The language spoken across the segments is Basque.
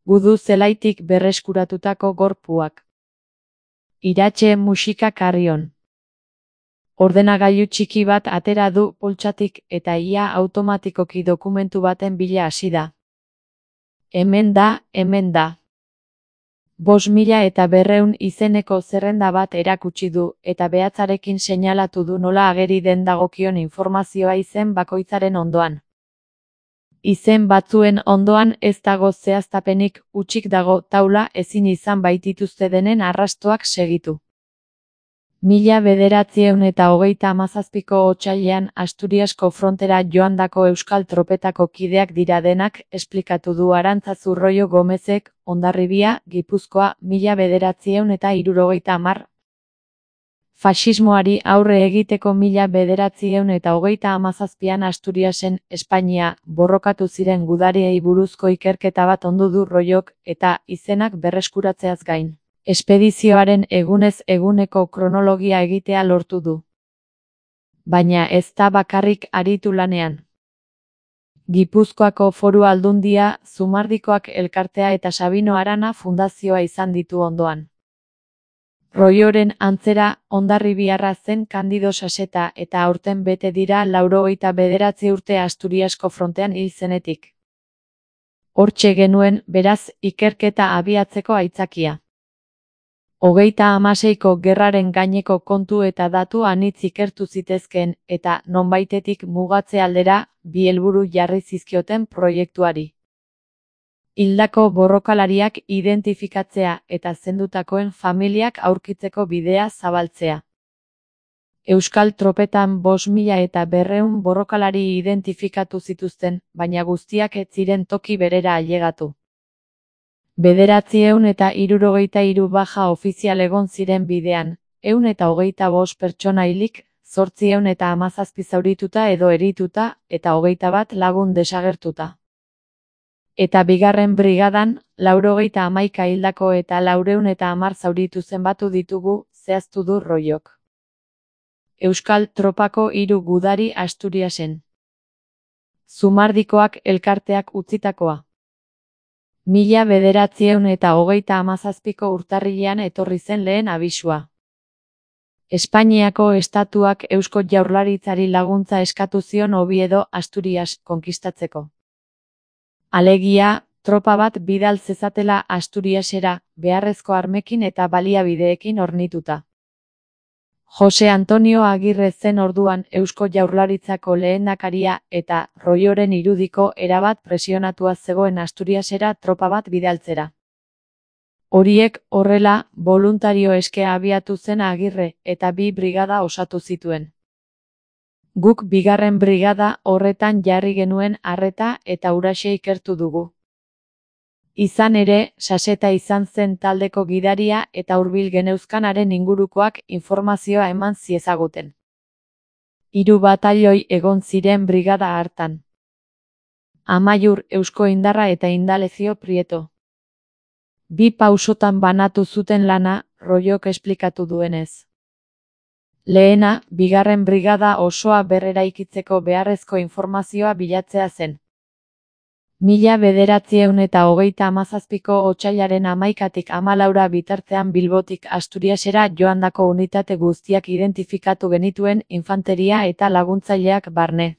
Gudu zelaitik berreskuratutako gorpuak. Iratxe musika Carrion. Ordenagailu txiki bat atera du poltsatik eta ia automatikoki dokumentu baten bila hasi da. Hemen da. 5.200 izeneko zerrenda bat erakutsi du eta behatzarekin seinalatu du nola ageri den dagokion informazioa izen bakoitzaren ondoan. Izen batzuen ondoan ez dago zehaztapenik, hutsik dago taula ezin izan baitituzte denen arrastoak segitu. 1937ko otsailean Asturiasko frontera joandako euskal tropetako kideak dira denak, esplikatu du Arantzazu Royo Gomezek, Hondarribia, Gipuzkoa, 1970. Faxismoari aurre egiteko 1937an Asturiasen, Espainia, borrokatu ziren gudariei buruzko ikerketa bat ondu du Royok, eta izenak berreskuratzeaz gain, espedizioaren egunez eguneko kronologia egitea lortu du. Baina ez da bakarrik aritu lanean. Gipuzkoako Foru Aldundia, Zumardikoak elkartea eta Sabino Arana fundazioa izan ditu ondoan. Royoren antzera, hondarribiarra zen Kandido Saseta eta aurten bete dira 99 urte Asturiasko frontean hil zenetik. Hortxe genuen, beraz, ikerketa abiatzeko aitzakia. 36ko gerraren gaineko kontu eta datu anitz ikertu zitezkeen, eta nonbaitetik mugatze aldera, bi helburu jarri zizkioten proiektuari. Hildako borrokalariak identifikatzea eta zendutakoen familiak aurkitzeko bidea zabaltzea. Euskal tropetan 5.200 borrokalari identifikatu zituzten, baina guztiak ez ziren toki berera ailegatu. 973 baja ofizial egon ziren bidean, 125 pertsona hilik, 817 zaurituta edo erituta, eta 21 lagun desagertuta. Eta bigarren brigadan, 91 hildako eta 410 zauritu zenbatu ditugu, zehaztu du Royok. Euskal tropako 3 gudari Asturiasen. Zumardikoak elkarteak utzitakoa. 1937ko urtarrilean etorri zen lehen abisua. Espainiako estatuak Eusko Jaurlaritzari laguntza eskatu zion Oviedo, Asturias, konkistatzeko. Alegia, tropa bat bidal zezatela Asturiasera, beharrezko armekin eta baliabideekin hornituta. Jose Antonio Agirre zen orduan Eusko Jaurlaritzako lehendakaria eta Royoren irudiko erabat presionatua zegoen Asturiasera tropa bat bidaltzera. Horiek horrela, boluntario eske abiatu zen Agirre eta 2 brigada osatu zituen. Guk bigarren brigada horretan jarri genuen arreta eta huraxe ikertu dugu. Izan ere, Saseta izan zen taldeko gidaria eta hurbil geneuzkanaren ingurukoak informazioa eman ziezaguten. 3 batailoi egon ziren brigada hartan. Amaiur, Eusko Indarra eta Indalezio Prieto. 2 pausotan banatu zuten lana, Royok esplikatu duenez. Lehena, bigarren brigada osoa berreraikitzeko beharrezko informazioa bilatzea zen. 1937ko otsailaren 11tik 14 bitartean Bilbotik Asturiasera joandako unitate guztiak identifikatu genituen infanteria eta laguntzaileak barne.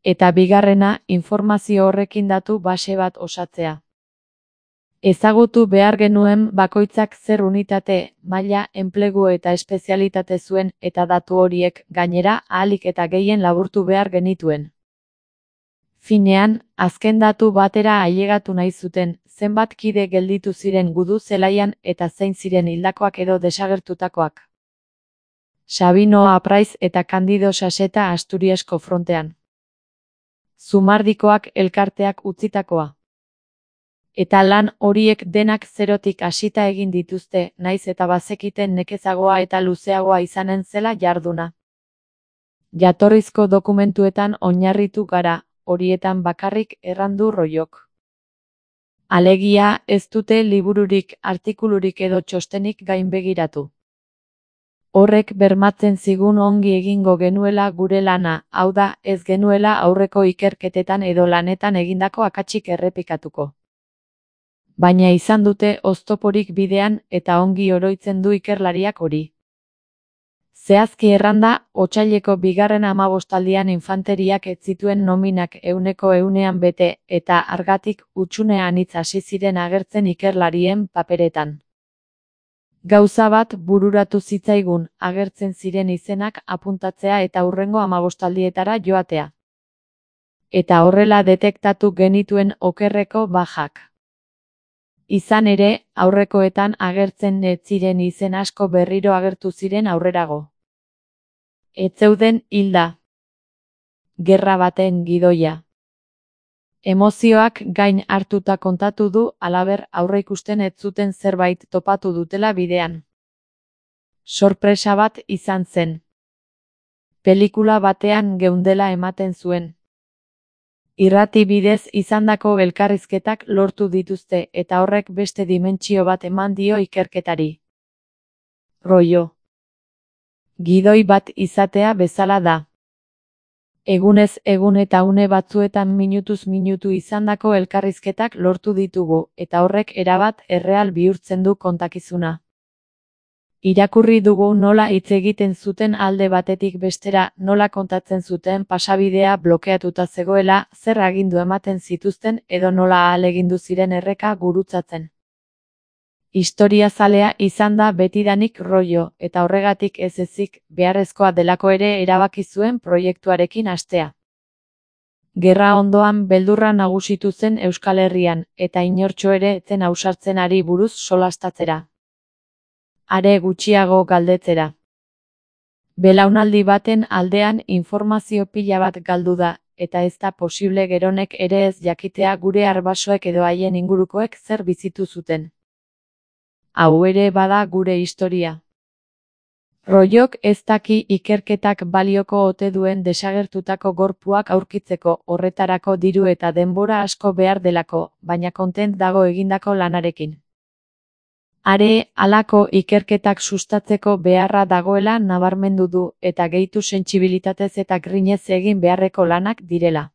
Eta bigarrena, informazio horrekin datu base bat osatzea. Ezagutu behar genuen bakoitzak zer unitate, maila, enplegu eta espezialitate zuen eta datu horiek, gainera, ahalik eta gehien laburtu behar genituen. Finean, azken datu batera ailegatu nahi zuten, zenbat kide gelditu ziren gudu zelaian eta zein ziren hildakoak edo desagertutakoak. Sabino Apraiz eta Kandido Saseta Asturiasko frontean. Zumardikoak elkarteak utzitakoa. Eta lan horiek denak zerotik hasita egin dituzte, naiz eta bazekiten nekezagoa eta luzeagoa izanen zela jarduna. Jatorrizko dokumentuetan oinarritu gara, horietan bakarrik errandu Royok. Alegia, ez dute libururik, artikulurik edo txostenik gainbegiratu. Horrek bermatzen zigun ongi egingo genuela gure lana, hau da, ez genuela aurreko ikerketetan edo lanetan egindako akatsik errepikatuko. Baina izan dute oztoporik bidean eta ongi oroitzen du ikerlariak hori. Zehazki erranda, otsaileko 2. infanteriak ez zituen nominak 100% bete eta hargatik hutsune anitz hasi ziren agertzen ikerlarien paperetan. Gauza bat bururatu zitzaigun, agertzen ziren izenak apuntatzea eta hurrengo 15 joatea. Eta horrela detektatu genituen okerreko bajak. Izan ere, aurrekoetan agertzen ez ziren izen asko berriro agertu ziren aurrerago. Ez zeuden hilda. Gerra baten gidoia. Emozioak gain hartuta kontatu du, halaber aurreikusten ez zuten zerbait topatu dutela bidean. Sorpresa bat izan zen. Pelikula batean geundela ematen zuen. Irrati bidez izandako elkarrizketak lortu dituzte eta horrek beste dimentsio bat eman dio ikerketari. Rollo. Gidoi bat izatea bezala da. Egunez egun eta une batzuetan minutuz minutu izandako elkarrizketak lortu ditugu eta horrek erabat erreal bihurtzen du kontakizuna. Irakurri dugu nola hitz egiten zuten alde batetik bestera, nola kontatzen zuten pasabidea blokeatuta zegoela, zer agindu ematen zituzten edo nola ahalegindu ziren erreka gurutzatzen. Historiazalea izan da betidanik Rollo, eta horregatik ez ezik, beharrezkoa delako ere erabaki zuen proiektuarekin hastea. Gerra ondoan beldurra nagusitu zen Euskal Herrian, eta inortxo ere ez zen ausartzen ari buruz solastatzera. Are gutxiago galdetzera. Belaunaldi baten aldean informazio pila bat galdu da, eta ez da posible geronek ere ez jakitea gure arbasoek edo haien ingurukoek zer bizitu zuten. Hau ere bada gure historia. Rollok ez daki ikerketak balioko ote duen desagertutako gorpuak aurkitzeko, horretarako diru eta denbora asko behar delako, baina kontent dago egindako lanarekin. Are, halako ikerketak sustatzeko beharra dagoela nabarmendu du, eta gehitu sentsibilitatez eta grinez egin beharreko lanak direla.